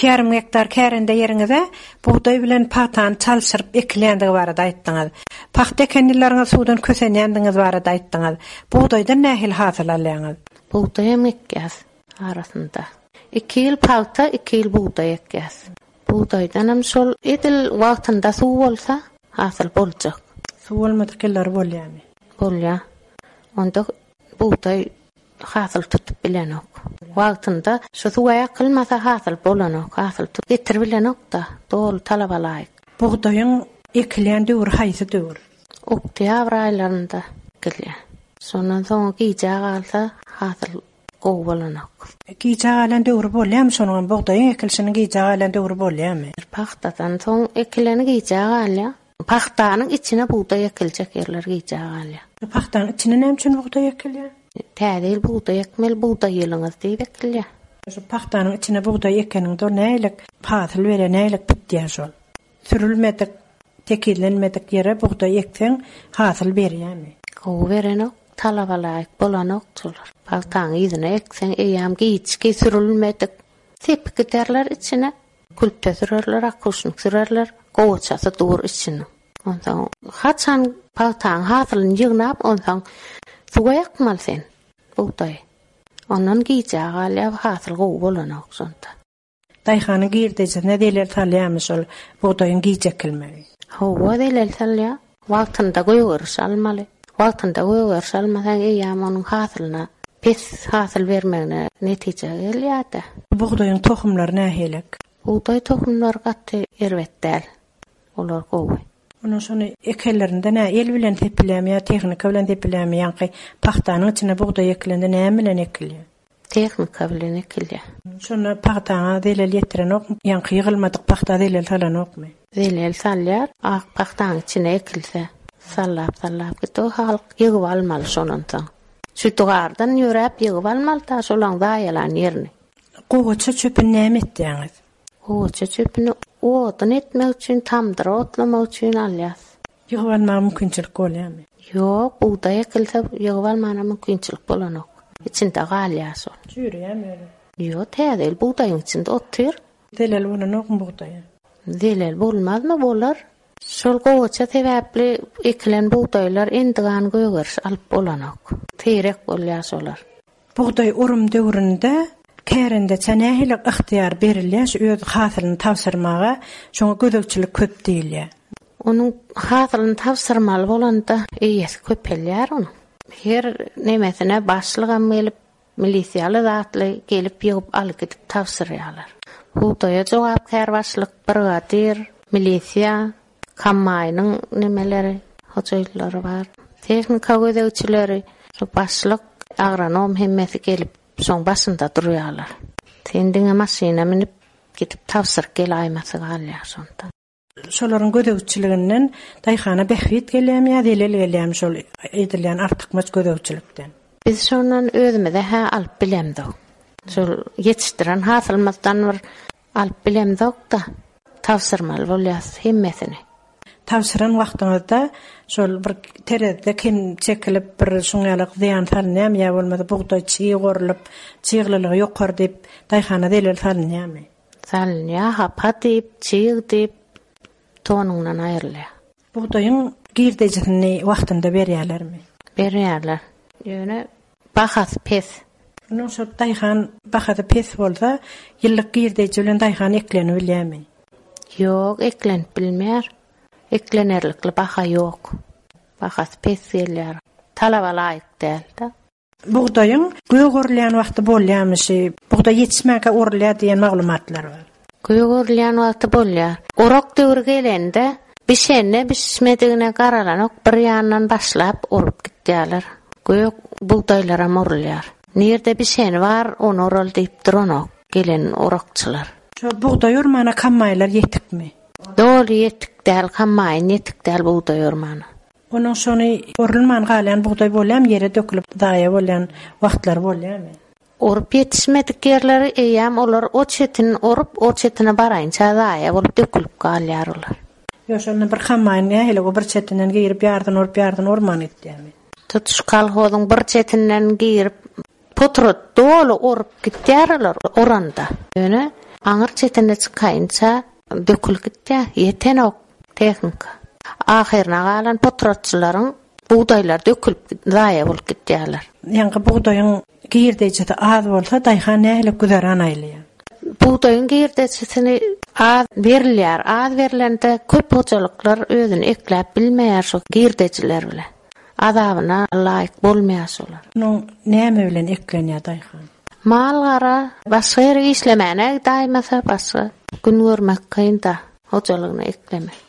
2,5 gektar kärende ýeriňize bugdaý bilen pagtany çalşyryp ekilýändigi barada aýtdyňyz. Pagta eken ýyllaryňyz suwdan kösenýändigiňiz barada aýtdyňyz. Bugdaýdan nähili hasyl alýaňyz? Bugdaýam ekýäs arasynda. Iki ýyl pagta, iki ýyl bugdaý ekýäs. Bugdaýdanam şol edil wagtynda suw bolsa, hasyl boljak. Suw bolmadyk ýyllary bolýamy? Bolýar. Onda bugdaý hasyl tutup bilenok. Wagtynda şu suwa ýakylmasa hasyl bolanok, hasyl tut getirip bilenok-da, doly talaba laýyk. Bugdaýyň ekilýän döwri haýsy döwür? Oktýabr aýlarynda ekilýär. Şondan soňa gijä galsa hasyl gowy bolanok. Gijä galan döwri bolýarmy şonuňam bugdaýyň ekilişiniň gijä galan döwri bolýarmy? Pagtadan soň ekileni gijä galýar. Pagtanyň içine bugdaý ekiljek ýerler gijä galýar. Pagtanyň içine näme üçin bugdaý ekilýär? Täze ýyl bugdaý ekmeli, bugdaý ýylyňyz diýip ekilýär. Şu pagtanyň içine bugdaý ekeniňde ol nähili hasyl berýär, nähili bitýär şol? Sürülmedik, tekizlenmedik ýere bugdaý ekseň hasyl berýärmi? Gowy berenok, talaba laýyk bolanok şolar. Pagtaň yzyna ekseň eýýäm giçki sürülmedik sepip giderler içine. Külpe sürerler, akuşnik sürerler, gowaçasy dur içiniň. Onsoň haçan pagtaň hasylyny ýygnap, onsoň suwa ýakmaly sen bugdaýy. Ondan gijä galýar, hasyl gowy bolanok şonda. Daýhanyň girdejisine zelel salýarmy şol bugdaýyň giç ekilmegi? Hawa, zelel salýar. Wagtynda gögeriş almaly. Wagtynda gögeriş almasaň eýýäm onuň hasylyna pes hasyl bermegine netije gelýär-de. Bugdaýyň tohumlary nähilek? Bugdaý tohumlary gaty erbet däl. Olar gowy. Onuň şony ekenlerinde nä el bilen sepilýärmi ýa tehnika bilen sepilýärmi ýaňky pagtanyň içine bugdaý ekilende näme bilen ekilýär? Tehnika bilen ekilýär. Şonda pagtaňa zelel ýetirenokmy? Ýaňky ýygylmadyk pagta zelel salanokmy? Zelel salýar. Ak pagtaň içine ekilse, sallap-sallap git. O halk ýygyp almaly şondan soň. Şütügardan ýöräp ýygyp almaly-da şolaň zaýalan ýerini. Gowaça çöpüni näme etýäňiz? Gowaça çöpüni odun etmek üçin, tamdyr otlamak üçin alýas. Ýygyp almaga mümkinçilik bolýarmy? Ýok, bugdaý ekilse ýygyp almana mümkinçilik bolanok. Içinde galýar şol. Çüýreýärmi özi? Ýok, täze ýyl bugdaýyň içinde otyr. Zelel bolanokmy bugdaýa? Zelel bolmazmy, bolar. Şol gowaça sebäpli ekilen bugdaýlar endigan gögeriş alyp bolanok. Seýrek bolýar şolar. Bugdaý orum döwründe kärendeçä nähili ygtyýar berilýär şu öz hasylyny tabşyrmaga, şoňa gözegçilik köp diýilýär. Onuň hasylyny tabşyrmaly bolanda eýesi köpelýär onuň. Her nemesine başlygam gelip, milisiýaly zatly gelip ýygyp alyp gidip tabşyrýarlar. Bugdaýa jogapkär başlyk, brigadir, milisiýa, Kombaýnyň nemeleri, hojaýynlary bar. Tehnika gözegçileri, şu başlyk, agronom hemmesi gelip, şoň başynda durýarlar. Sen diňe maşyna münüp, gidip tabşyryp gelaýmasy galýar şonda. Şolaryň gözegçiliginden daýhana bähbit gelýärmi ýa zelel gelýärmi şol edilýän artykmaç gözegçilikden? Biz şondan özümize-hä alyp bilemzok. Şol ýetişdiren hasylymyzdan bir Alyp bilemzok-da, tabşyrmaly bolýas hemmesini. Tabşyran wagtyňyzda şol bir terezide kem çekilip bir şuň ýaly zyýan salynýarmy ýa bolmasa bugdaý çyg orlup, çyglylygy ýokary diýip daýhana zelel salynýarmy? Salynýar, hapa diýip, çyg diýip tonuňdan aýrylýar. Bugdaýyň girdejisini wagtynda berýärlermi? Berýärler. Ýöne bahasy pes. Onuň şol daýhan bahasy pes bolsa, ýyllyk girdeji bilen daýhan eklenibilýärmi? Ýok, eklenip bilmeýär. Eklenerlikli baha ýok. Bahasy pes gelýär. Talaba laýyk däl-de. Bugdaýyň gök orulýan wagty bolýarmy şi? Bugdaý ýetişmänkä orulýar diýen maglumatlar bar. Gök orulýan wagty bolýar. Orak döwri gelende, bişenine bişmedigine garalanok bir ýandan başlap orup gitýärler. Gök bugdaýlaram orulýar. Nirde bişeni bar, ony oraly diýip duranok gelen orakçylar. Şo bugdaý ormana kombaýnlar ýetikmi? Doly ýetik däl, kombaýn ýetik däl bugdaý ormana. Onuň şony orulman galýan bugdaý bolýarmy, ýere dökülip zaýa bolýan wagtlary bolýarmy? Orup ýetişmedik ýerleri eýýäm olar o çetini orup, o çetine baraýynça zaýa bolup dökülip galýar olar. Ýok, şonda bir kombaýn nähili o bir çetinden girip ýarsyny orup, ýarsyny orman gitýärmi? Tutuş kolhozyň bir çetinden girip, Potrat doly orup gitýär olar oranda. Ýöne. Aňyr çetine çykaýynça dökülip gitýär, ýetenok tehnika. Ahyryna galan potratçylaryň bugdaýlary dökülip zaýa bolup gitýärler. Ýaňky bugdaýyň girdejisi az bolsa daýhan nähili güzeran aýlaýar? Bugdaýyň girdejisini az berilýär. Az berlende köp hojalyklar özüni ekläp bilmeýär şu girdejiler bilen. Azabyna laýyk bolmaýar şolar. Munuň näme bilen eklenýär daýhan? Mal-gara başga ýere işlemäne gidaýmasa başga gün görmek kyn-da, hojalygyny eklemek.